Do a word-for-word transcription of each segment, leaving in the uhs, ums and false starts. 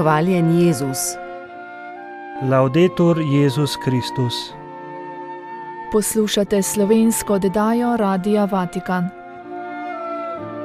Hvaljen Jezus. Laudetur Jezus Kristus. Poslušate slovensko oddajo Radia Vatikan.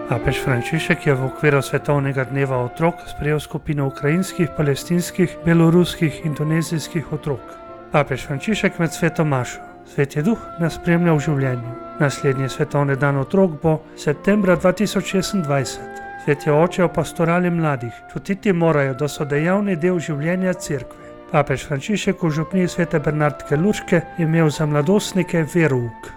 Papež Frančišek je v okviru Svetovnega dneva otrok sprejel skupino ukrajinskih, palestinskih, beloruskih in indonezijskih otrok. Papež Frančišek med sveto mašo. Sveti duh nas spremlja v življenju. Naslednji svetovni dan otrok bo septembra dva tisoč šestindvajset. Sveti oče o pastorali mladih čutiti morajo, da so dejavni del življenja cerkve. Papež Frančišek v župniji svete Bernardke Lučke je imel za mladostnike verouk.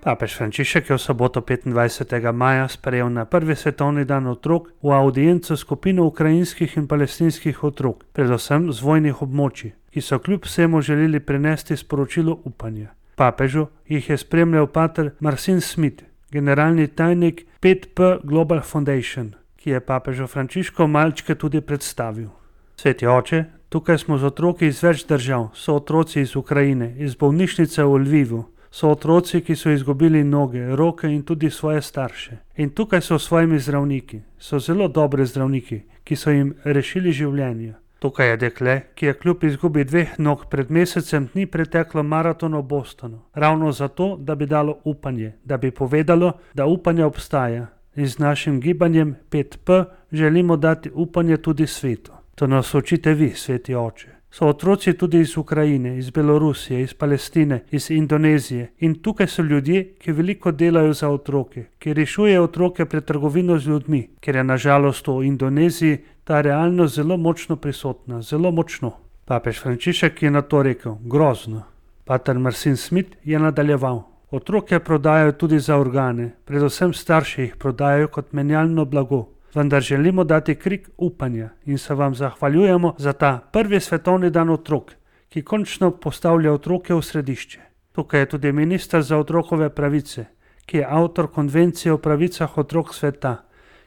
Papež Frančišek je v soboto petindvajsetega maja sprejel na prvi svetovni dan otrok v audienco skupino ukrajinskih in palestinskih otrok, predvsem z vojnih območij, ki so kljub vsemu želeli prenesti sporočilo upanja. Papežu jih je spremljal pater Marcin Smith, generalni tajnik pet P Global Foundation, ki je papežu Frančišku malčke tudi predstavil. Sveti oče, tukaj smo z otroki iz več držav, so otroci iz Ukrajine, iz bolnišnice v Lvivu, so otroci, ki so izgubili noge, roke in tudi svoje starše. In tukaj so svojimi zdravniki, so zelo dobri zdravniki, ki so jim rešili življenje. Tukaj je dekle, ki je kljub izgubi dveh nog pred mesecem dni preteklo maraton v Bostonu, ravno zato, da bi dalo upanje, da bi povedalo, da upanje obstaja. In z našim gibanjem pet P želimo dati upanje tudi svetu. To nas učite vi, sveti oče. So otroci tudi iz Ukrajine, iz Belorusije, iz Palestine, iz Indonezije in tukaj so ljudje, ki veliko delajo za otroke, ki rešujejo otroke pred trgovino z ljudmi, ker je nažalost v Indoneziji ta realnost zelo močno prisotna, zelo močno. Papež Frančišek je na to rekel, grozno. Pater Marcin Smith je nadaljeval. Otroke prodajajo tudi za organe, predvsem starši jih prodajajo kot menjalno blago. Vendar želimo dati krik upanja in se vam zahvaljujemo za ta prvi svetovni dan otrok, ki končno postavlja otroke v središče. Tukaj je tudi minister za otrokove pravice, ki je avtor konvencije o pravicah otrok sveta,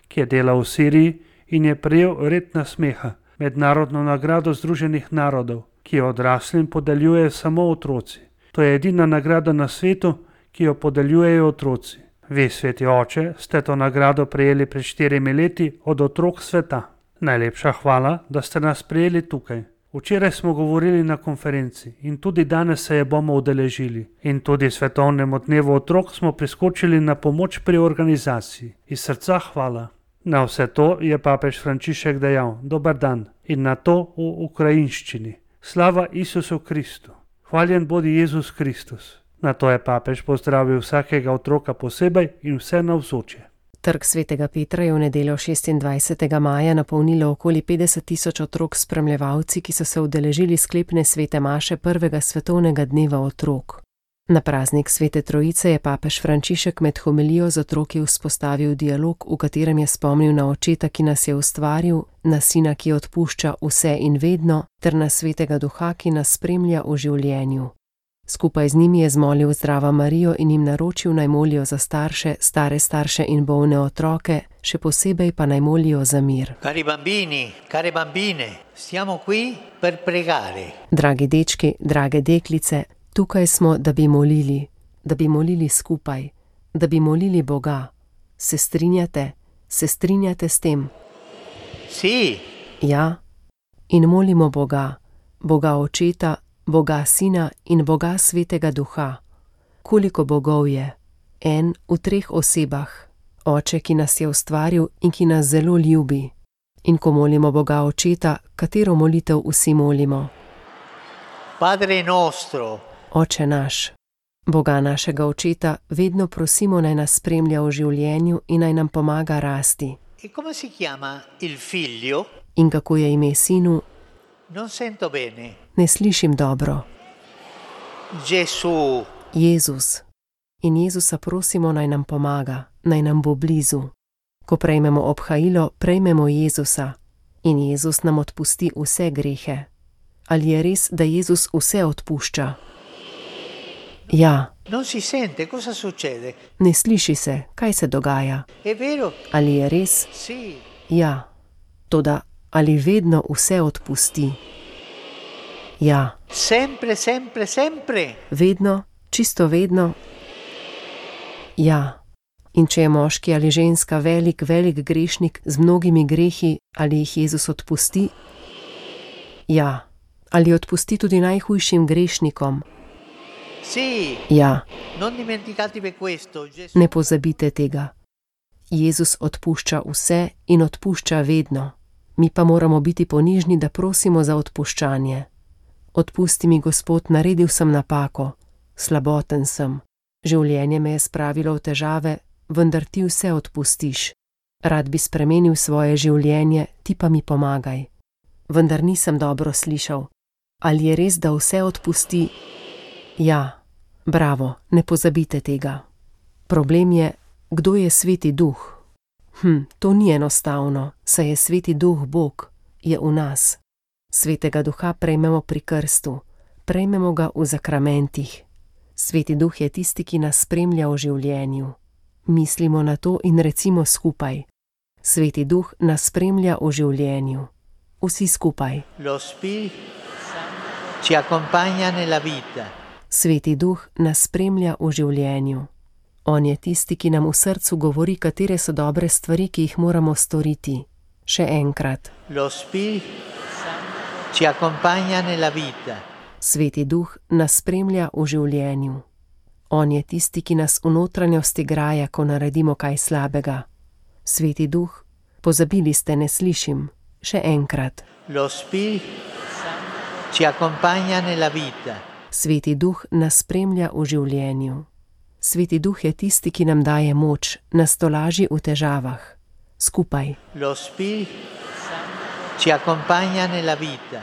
ki je delal v Siriji in je prejel red nasmeha, mednarodno nagrado Združenih narodov, ki jo odraslim podeljuje samo otroci. To je edina nagrada na svetu, ki jo podeljujejo otroci. Vi, sveti oče, ste to nagrado prejeli pred štirimi leti od otrok sveta. Najlepša hvala, da ste nas prejeli tukaj. Včeraj smo govorili na konferenci in tudi danes se je bomo udeležili. In tudi svetovnemu dnevu otrok smo priskočili na pomoč pri organizaciji. Iz srca hvala. Na vse to je papež Frančišek dejal, dober dan, in na to v ukrajinščini. Slava Isusu Kristu. Hvaljen bodi Jezus Kristus. Na to je papež pozdravil vsakega otroka posebej in vse navzoče. Trg svetega Petra je v nedeljo šestindvajsetega maja napolnilo okoli petdeset tisoč otrok spremljevalci, ki so se udeležili sklepne svete maše prvega svetovnega dneva otrok. Na praznik svete Trojice je papež Frančišek med homilijo z otroki vzpostavil dialog, v katerem je spomnil na očeta, ki nas je ustvaril, na sina, ki odpušča vse in vedno, ter na svetega duha, ki nas spremlja v življenju. Skupaj z njimi je zmolil Zdrava Marijo in jim naročil naj molijo za starše, stare starše in bolne otroke, še posebej pa naj molijo za mir. Cari bambini, care bambine, siamo qui per pregare. Dragi dečki, drage deklice, tukaj smo, da bi molili, da bi molili skupaj, da bi molili Boga. Se strinjate? Se strinjate s tem? Si. Ja. In molimo Boga, Boga Očeta, Boga Sina in Boga Svetega Duha. Koliko bogov je? En v treh osebah. Oče, ki nas je ustvaril in ki nas zelo ljubi. In ko molimo Boga Očeta, katero molitev vsi molimo? Padre nostro. Oče naš. Boga našega Očeta vedno prosimo, naj nas spremlja v življenju in naj nam pomaga rasti. E come si chiama il figlio? In kako je ime sinu? Non sento bene. Ne slišim dobro. Gesù. Jezus. In Jezusa prosimo, naj nam pomaga, naj nam bo blizu. Ko prejmemo obhajilo, prejmemo Jezusa. In Jezus nam odpusti vse grehe. Ali je res, da Jezus vse odpušča? Ja. Non si sente, cosa succede? Ne sliši se, kaj se dogaja. È vero? Ali je res? Sì. Ja. Toda ali vedno vse odpusti? Ja. Sempre, sempre, sempre. Vedno, čisto vedno? Ja. In če je moški ali ženska velik, velik grešnik z mnogimi grehi, ali jih Jezus odpusti? Ja. Ali odpusti tudi najhujšim grešnikom? Sì, Ja. non dimenticatevi questo, Gesù Ne pozabite tega. Jezus odpušča vse in odpušča vedno. Mi pa moramo biti ponižni, da prosimo za odpuščanje. Odpusti mi, Gospod, naredil sem napako, slaboten sem. Življenje me je spravilo v težave, vendar ti vse odpustiš. Rad bi spremenil svoje življenje, ti pa mi pomagaj. Vendar nisem dobro slišal. Ali je res, da vse odpusti? Ja, bravo, ne pozabite tega. Problem je, kdo je Sveti Duh? Hm, to ni enostavno, saj je Sveti Duh Bog, je v nas. Svetega Duha prejmemo pri krstu, prejmemo ga v zakramentih. Sveti Duh je tisti, ki nas spremlja v življenju. Mislimo na to in recimo skupaj. Sveti Duh nas spremlja v življenju. Vsi skupaj. lo Spirito Santo ci accompagna nella vita. Sveti Duh nas spremlja v življenju. On je tisti, ki nam v srcu govori, katere so dobre stvari, ki jih moramo storiti. Še enkrat. Lo Spirito Santo ci accompagna nella vita. Sveti Duh nas spremlja v življenju. On je tisti, ki nas v notranjosti graja, ko naredimo kaj slabega. Sveti Duh, pozabili ste, ne slišim. Še enkrat. Lo Spirito Santo ci accompagna nella vita. Sveti Duh nas spremlja v življenju. Sveti Duh je tisti, ki nam daje moč, nas tolaži v težavah. Skupaj. Lo Spirito Santo ci accompagna nella vita.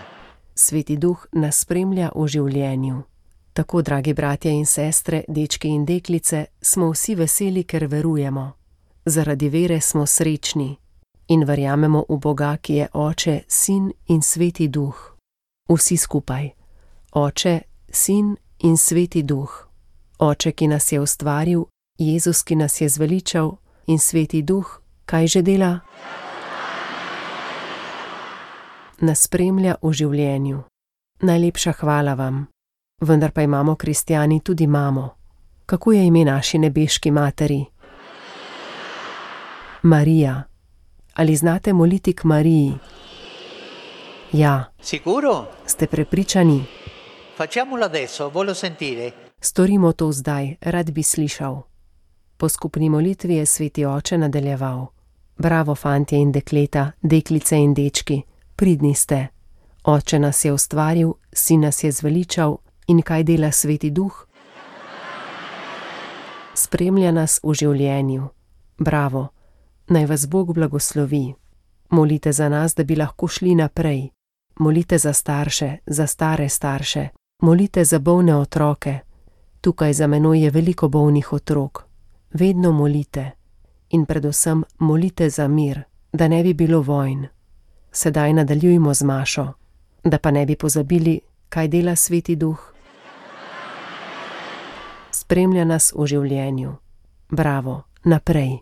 Sveti Duh nas spremlja v življenju. Tako, dragi bratje in sestre, dečki in deklice, smo vsi veseli, ker verujemo. Zaradi vere smo srečni in verjamemo v Boga, ki je Oče, Sin in Sveti Duh. Vsi skupaj. Oče, Sin in Sveti Duh. Oče, ki nas je ustvaril, Jezus, ki nas je zveličal, in Sveti Duh, kaj že dela? Nas spremlja v življenju. Najlepša hvala vam. Vendar pa imamo kristjani tudi mamo. Kako je ime naši nebeški materi? Marija. Ali znate moliti k Mariji? Ja. Sicuro? Ste prepričani? Facciamolo adesso, voglio sentire. Storimo to zdaj, rad bi slišal. Po skupni molitvi je Sveti Oče nadaljeval. Bravo, fantje in dekleta, deklice in dečki, pridni ste. Oče nas je ustvaril, Sin nas je zveličal in kaj dela Sveti Duh? Spremlja nas v življenju. Bravo, naj vas Bog blagoslovi. Molite za nas, da bi lahko šli naprej. Molite za starše, za stare starše. Molite za bolne otroke. Tukaj za menoj je veliko bolnih otrok. Vedno molite. In predvsem molite za mir, da ne bi bilo vojn. Sedaj nadaljujmo z mašo. Da pa ne bi pozabili, kaj dela Sveti Duh. Spremlja nas v življenju. Bravo, naprej.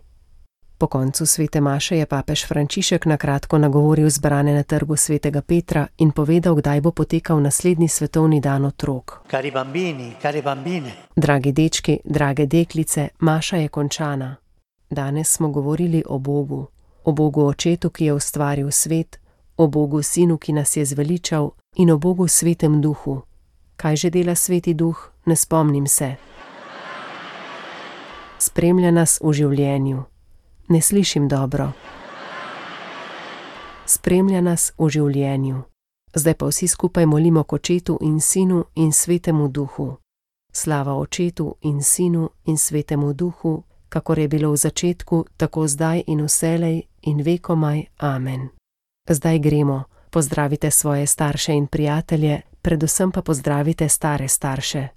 Po koncu svete maše je papež Frančišek na kratko nagovoril zbrane na trgu svetega Petra in povedal, kdaj bo potekal naslednji svetovni dan otrok. Cari bambini, care bambine. Dragi dečki, drage deklice, maša je končana. Danes smo govorili o Bogu, o Bogu Očetu, ki je ustvaril svet, o Bogu Sinu, ki nas je zveličal, in o Bogu Svetem Duhu. Kaj že dela Sveti Duh? Ne spomnim se. Spremlja nas v življenju. Ne slišim dobro. Spremlja nas v življenju. Zdaj pa vsi skupaj molimo k Očetu in Sinu in Svetemu Duhu. Slava Očetu in Sinu in Svetemu Duhu, kakor je bilo v začetku, tako zdaj in vselej in vekomaj. Amen. Zdaj gremo. Pozdravite svoje starše in prijatelje, predvsem pa pozdravite stare starše.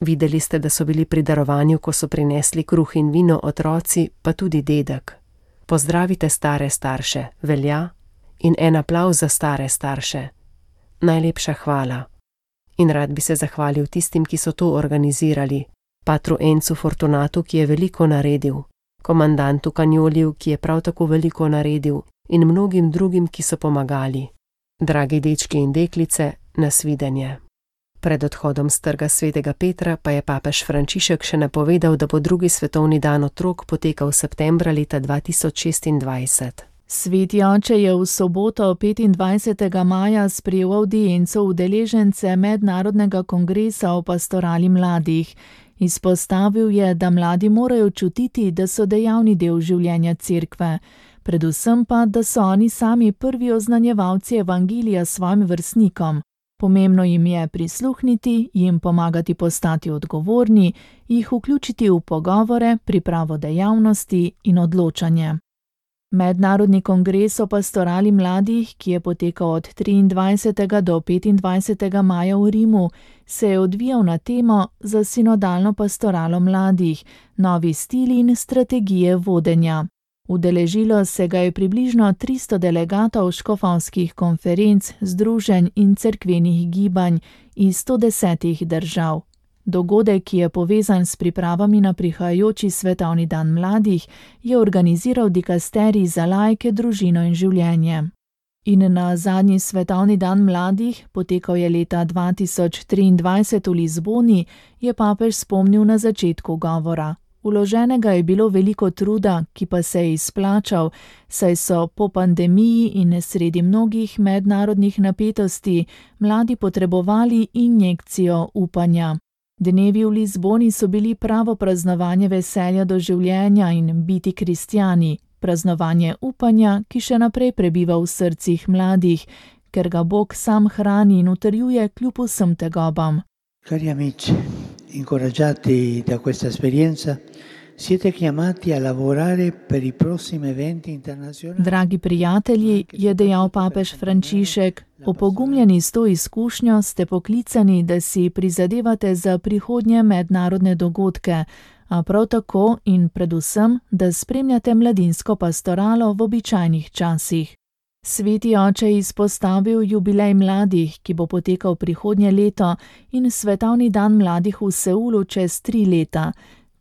Videli ste, da so bili pri darovanju, ko so prinesli kruh in vino otroci, pa tudi dedek. Pozdravite stare starše, velja, in en aplavz za stare starše. Najlepša hvala. In rad bi se zahvalil tistim, ki so to organizirali, patru Encu Fortunatu, ki je veliko naredil, komandantu Kanjoliju, ki je prav tako veliko naredil, in mnogim drugim, ki so pomagali. Dragi dečki in deklice, nasvidenje. Pred odhodom s Trga svetega Petra pa je papež Frančišek še napovedal, da bo drugi svetovni dan otrok potekal septembra leta dva tisoč šestindvajset. Sveti oče je v soboto petindvajsetega maja sprejel avdienco udeležence Mednarodnega kongresa o pastorali mladih. Izpostavil je, da mladi morajo čutiti, da so dejavni del življenja cerkve, predvsem pa, da so oni sami prvi oznanjevalci evangelija svojim vrstnikom. Pomembno jim je prisluhniti, jim pomagati postati odgovorni, jih vključiti v pogovore, pripravo dejavnosti in odločanje. Mednarodni kongres o pastorali mladih, ki je potekal od triindvajsetega do petindvajsetega maja v Rimu, se je odvijal na temo za sinodalno pastoralo mladih, novi stili in strategije vodenja. Udeležilo se ga je približno tristo delegatov škofovskih konferenc, združenj in cerkvenih gibanj iz sto desetih držav. Dogodek, ki je povezan s pripravami na prihajajoči svetovni dan mladih, je organiziral dikasterij za laike, družino in življenje. In na zadnji svetovni dan mladih, potekal je leta dva tisoč triindvajset v Lizboni, je papež spomnil na začetku govora. Vloženega je bilo veliko truda, ki pa se je izplačal, saj so po pandemiji in sredi mnogih mednarodnih napetosti mladi potrebovali injekcijo upanja. Dnevi v Lizboni so bili pravo praznovanje veselja do življenja in biti kristjani, praznovanje upanja, ki še naprej prebiva v srcih mladih, ker ga Bog sam hrani in utrjuje kljub vsem tegobam. Cari amici, incoraggiati da questa esperienza, siete chiamati a lavorare per i prossimi eventi internazionali. Dragi prijatelji, je dejal papež Frančišek, opogumljeni s to izkušnjo ste poklicani, da si prizadevate za prihodnje mednarodne dogodke, a prav tako in predvsem, da spremljate mladinsko pastoralo v običajnih časih. Sveti oče je izpostavil jubilej mladih, ki bo potekal prihodnje leto, in svetovni dan mladih v Seulu čez tri leta,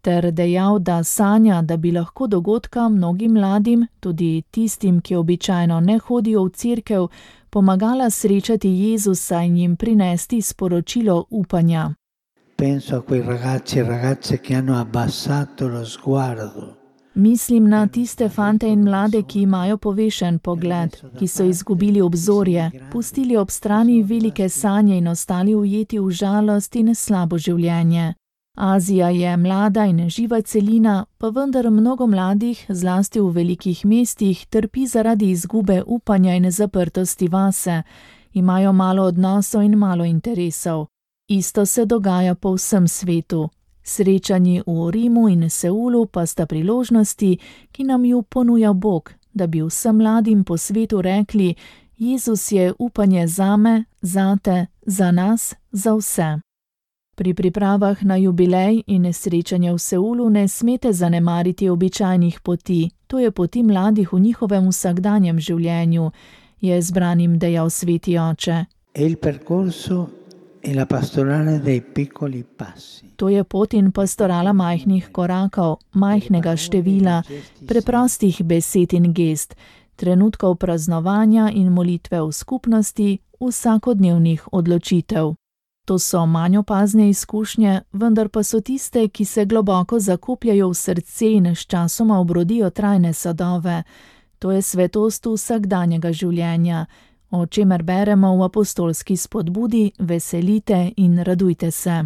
ter dejal, da sanja, da bi lahko dogodka mnogim mladim, tudi tistim, ki običajno ne hodijo v cerkev, pomagala srečati Jezusa in jim prinesti sporočilo upanja. Penso a quei ragazzi e ragazze che hanno abbassato lo sguardo. Mislim na tiste fante in mlade, ki imajo povešen pogled, ki so izgubili obzorje, pustili ob strani velike sanje in ostali ujeti v žalost in slabo življenje. Azija je mlada in živa celina, pa vendar mnogo mladih, zlasti v velikih mestih, trpi zaradi izgube upanja in zaprtosti vase, imajo malo odnosov in malo interesov. Isto se dogaja po vsem svetu. Srečanji v Rimu in Seulu pa sta priložnosti, ki nam ju ponuja Bog, da bi vsem mladim po svetu rekli: Jezus je upanje zame, zate, za nas, za vse. Pri pripravah na jubilej in srečanje v Seulu ne smete zanemariti običajnih poti, to je poti mladih v njihovem vsakdanjem življenju, je zbranim dejal sveti oče. E il percorso e la pastorale dei piccoli passi. To je pot in pastorala majhnih korakov, majhnega števila, preprostih besed in gest, trenutkov praznovanja in molitve v skupnosti, vsakodnevnih odločitev. To so manj opazne izkušnje, vendar pa so tiste, ki se globoko zakopljajo v srce in sčasoma obrodijo trajne sadove. To je svetost vsakdanjega življenja, o čemer beremo v apostolski spodbudi: veselite in radujte se.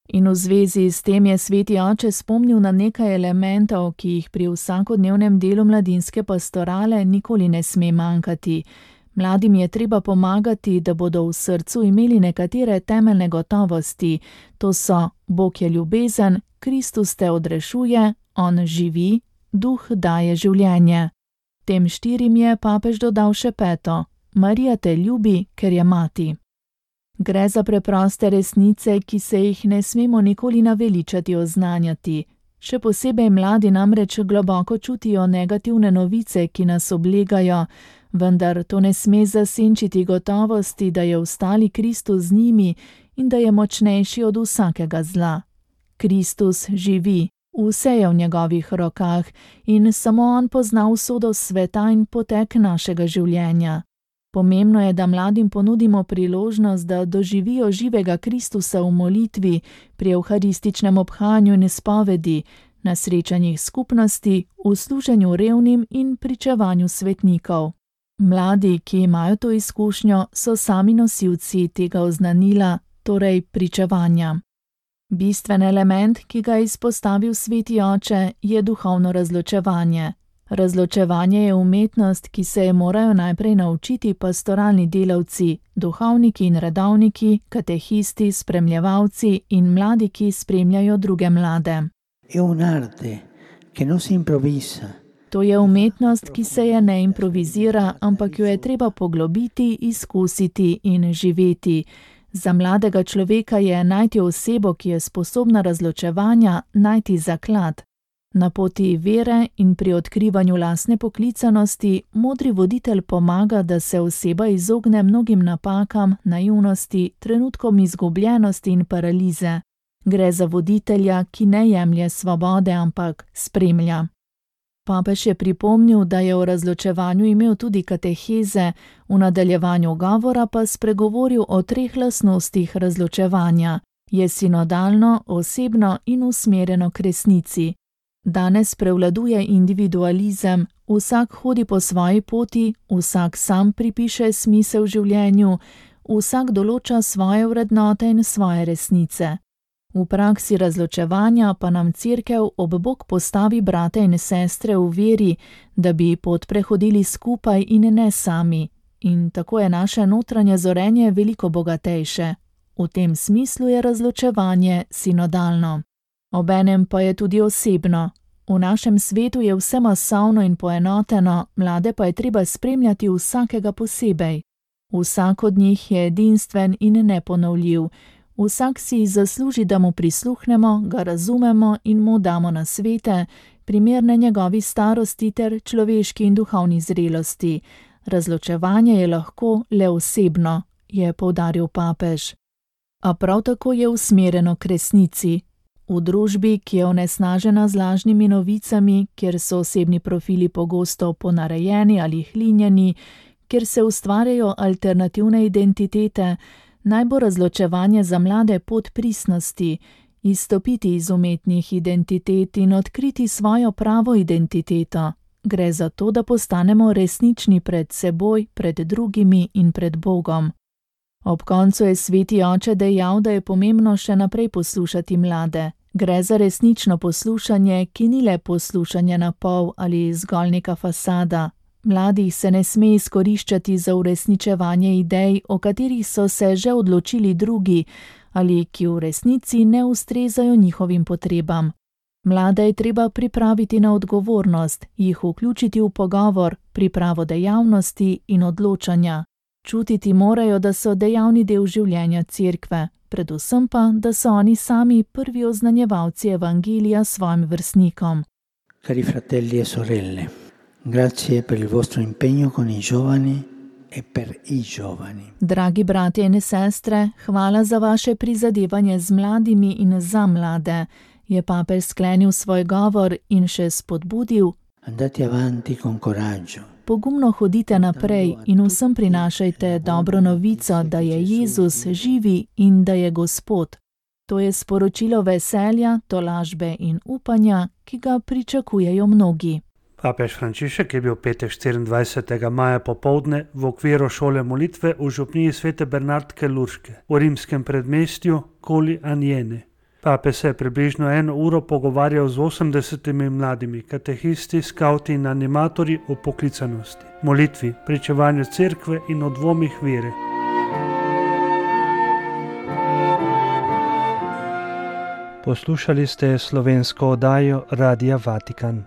In v zvezi s tem je sveti oče spomnil na nekaj elementov, ki jih pri vsakodnevnem delu mladinske pastorale nikoli ne sme manjkati. Mladim je treba pomagati, da bodo v srcu imeli nekatere temeljne gotovosti. To so: Bog je ljubezen, Kristus te odrešuje, on živi, duh daje življenje. Tem štirim je papež dodal še peto: Marija te ljubi, ker je mati. Gre za preproste resnice, ki se jih ne smemo nikoli naveličati oznanjati. Še posebej mladi namreč globoko čutijo negativne novice, ki nas oblegajo, vendar to ne sme zasenčiti gotovosti, da je vstali Kristus z njimi in da je močnejši od vsakega zla. Kristus živi, vse je v njegovih rokah in samo on pozna usodo sveta in potek našega življenja. Pomembno je, da mladim ponudimo priložnost, da doživijo živega Kristusa v molitvi, pri evharističnem obhajanju in izpovedi, na srečanjih skupnosti, v služenju revnim in pričevanju svetnikov. Mladi, ki imajo to izkušnjo, so sami nosilci tega oznanila, torej pričevanja. Bistven element, ki ga je izpostavil sveti oče, je duhovno razločevanje. Razločevanje je umetnost, ki se je morajo najprej naučiti pastoralni delavci, duhovniki in redovniki, katehisti, spremljevalci in mladi, ki spremljajo druge mlade. È un'arte che non si improvvisa. To je umetnost, ki se je ne improvizira, ampak jo je treba poglobiti, izkusiti in živeti. Za mladega človeka je najti osebo, ki je sposobna razločevanja, najti zaklad. Na poti vere in pri odkrivanju lastne poklicanosti modri voditelj pomaga, da se oseba izogne mnogim napakam, naivnosti, trenutkom izgubljenosti in paralize. Gre za voditelja, ki ne jemlje svobode, ampak spremlja. Papež je pripomnil, da je o razločevanju imel tudi kateheze, v nadaljevanju govora pa spregovoril o treh lastnostih razločevanja. Je sinodalno, osebno in usmerjeno k resnici. Danes prevladuje individualizem, vsak hodi po svoji poti, vsak sam pripiše smisel življenju, vsak določa svoje vrednote in svoje resnice. V praksi razločevanja pa nam Cerkev ob bok postavi brate in sestre v veri, da bi pot prehodili skupaj in ne sami. In tako je naše notranje zorenje veliko bogatejše. V tem smislu je razločevanje sinodalno. Obenem pa je tudi osebno. V našem svetu je vse masovno in poenoteno, mlade pa je treba spremljati vsakega posebej. Vsak od njih je edinstven in neponovljiv. Vsak si zasluži, da mu prisluhnemo, ga razumemo in mu damo nasvete, primerne njegovi starosti ter človeški in duhovni zrelosti. Razločevanje je lahko le osebno, je poudaril papež. A prav tako je usmerjeno k resnici. V družbi, ki je onesnažena z lažnimi novicami, kjer so osebni profili pogosto ponarejeni ali hlinjeni, kjer se ustvarjajo alternativne identitete, naj bo razločevanje za mlade pot pristnosti, izstopiti iz umetnih identitet in odkriti svojo pravo identiteto. Gre za to, da postanemo resnični pred seboj, pred drugimi in pred Bogom. Ob koncu je sveti oče dejal, da je pomembno še naprej poslušati mlade. Gre za resnično poslušanje, ki ni le poslušanje na pol ali zgolj neka fasada. Mladih se ne sme izkoriščati za uresničevanje idej, o katerih so se že odločili drugi ali ki v resnici ne ustrezajo njihovim potrebam. Mlade je treba pripraviti na odgovornost, jih vključiti v pogovor, pripravo dejavnosti in odločanja. Čutiti morajo, da so dejavni del življenja Cerkve, predvsem pa, da so oni sami prvi oznanjevalci evangelija svojim vrstnikom. Cari fratelli e sorelle, grazie per il vostro impegno con i giovani e per i giovani. Dragi bratje in sestre, hvala za vaše prizadevanje z mladimi in za mlade. Je papež sklenil svoj govor in še spodbudil: Andate avanti con coraggio. Pogumno hodite naprej in vsem prinašajte dobro novico, da je Jezus živi in da je Gospod. To je sporočilo veselja, tolažbe in upanja, ki ga pričakujejo mnogi. Papež Frančišek je bil petek štiriindvajsetega maja popoldne v okviru šole molitve v župniji svete Bernardke Lurške v rimskem predmestju Colli Aniene. Papež se je približno eno uro pogovarjal z osemdesetimi mladimi katehisti, skavti in animatorji o poklicanosti, molitvi, pričevanju cerkve in o dvomih vere. Poslušali ste slovensko oddajo Radia Vatikan.